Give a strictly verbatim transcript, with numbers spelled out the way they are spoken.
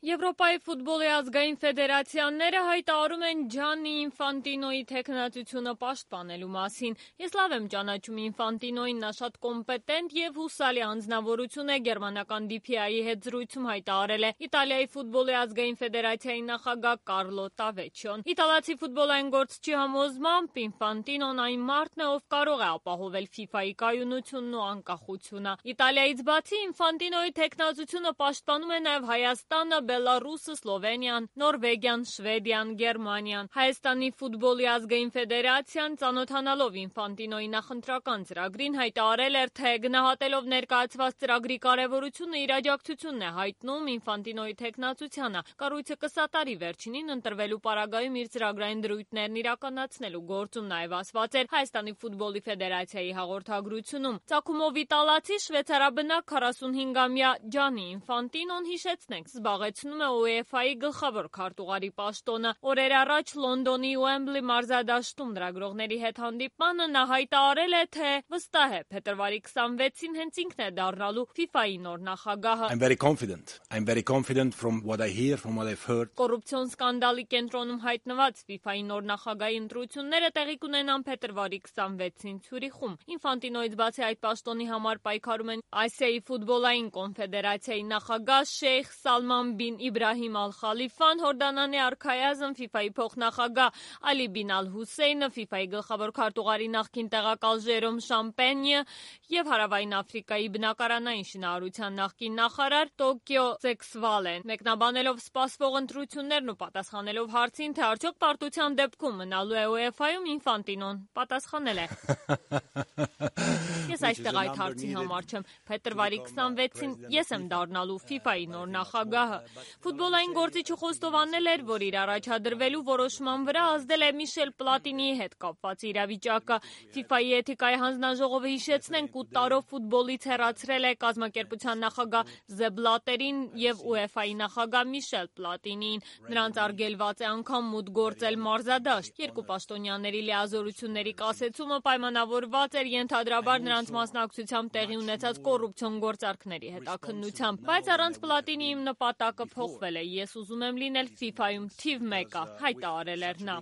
Եվրոպայի ֆուտբոլի ազգային ֆեդերացիաները հայտարարում են Ջաննի Ինֆանտինոյի թեկնածությունը պաշտպանելու մասին։ Ես լավ եմ ճանաչում Ինֆանտինոյին, նա շատ կոմպետենտ եւ հուսալի անձնավորություն է, գերմանական դի փի այի հետ զրույցում հայտարարել է Իտալիայի ֆուտբոլի ազգային ֆեդերացիայի նախագահ Կարլո Տավեչիոն։ Իտալացի ֆուտբոլային գործչի համոզմամբ Ինֆանտինոն այն մարդն է, ով կարող է ապահովել ֆիֆայի կայունությունն ու անկախությունը։ Իտալիայից բացի Ինֆանտինոյի թեկնածությունը պաշտպանում է նաեւ Հայաստանը, Բելարուսը, Սլովենիան, Նորվեգիան, Շվեդիան, Գերմանիան։ Հայաստանի ֆուտբոլի ազգային ֆեդերացիան ծանոթանալով Ինֆանտինոյի նախընտրական ծրագրին հայտարարել էր, թե գնահատելով ներկայացված ծրագրի կարևորությունը իր աջակցությունն է հայտնում Ինֆանտինոյի թեկնածությանը։ Կառույցը կսատարի վերջինին ընտրվելու պարագայում իր ծրագրային դրույթներն իրականացնելու գործում, նաև ասված էր Հայաստանի ֆուտբոլի ֆեդերացիայի հաղորդագրությունում։ Ծագումով իտալացի շվեյցարաբնակ քառասունհինգամյա Ջաննի Ինֆանտինոն, հիշեցնենք, զբաղեցնում է ու է էֆ այի գլխավոր քարտուղարի պաշտոնը։ Օրեր առաջ Լոնդոնի Ուեմբլի մարզադաշտում լրագրողների հետ հանդիպմանը նա հայտարարել է, թե վստահ է փետրվարի քսանվեցին հենց ինքն է դառնալու ֆիֆայի նոր նախագահը։ I'm very confident. I'm very confident from what I hear, from what I've heard. Կոռուպցիոն սկանդալի կենտրոնում հայտնված ֆիֆայի նոր նախագահի ընտրությունները տեղի կունենան փետրվարի քսանվեցին Ցյուրիխում։ Ինֆանտինոյից բացի այդ պաշտոնի համար պայքարում են Ասիայի ֆուտբոլային կոնֆեդերացիայի նախագահ Շեյխ Սալման բին Իբրահիմ Ալ-Խալիֆան, Հորդանանի արքայազն ֆիֆայի փոխնախագահ Ալի բին Ալ-Հուսեյնը, ֆիֆայի գլխավոր քարտուղարի նախկին տեղակալ Ժերոմ Շամպենյը եւ Հարավային Աֆրիկայի բնակարանային շինարարության նախկին նախարար Տոկիո Ձեքսվալեն։ Մեկնաբանելով սպասվող ընտրություններն ու պատասխանելով հարցին, թե արդյոք պարտության դեպքում մնալու է ու է էֆ այ-ում, Ինֆանտինոն պատասխանել է. Ես այստեղ այդ հարցի համար չեմ։ Փետրվարի քսանվեցին ես եմ դառնալու ֆիֆայի նոր նախագահը։ Ֆուտբոլային գործիչը խոստովանել էր, որ իր առաջադրվելու որոշման վրա ազդել է Միշել Պլատինիի հետ կապված իրավիճակը։ ֆիֆայի էթիկայի հանձնաժողովը, հիշեցնենք, ութ տարով ֆուտբոլից հեռացրել է կազմակերպության նախագահ Զեբ Բլատերին եւ ու է էֆ այի նախագահ Միշել Պլատինիին։ Նրանց արգելված է անգամ մուտք գործել մարզադաշտ։ Երկու պաշտոնյաների լիազորությունների կասեցումը պայմանավորված էր ենթադրաբար նրանց մասնակցությամբ տեղի ունեցած կոռուպցիոն գործարքների հետաքննությամբ, բայց առանց Պլատինիի նպատակը փոխվել է։ Ես ուզում եմ լինել ֆիֆայում թիվ մեկը, հայտարարել էր նա։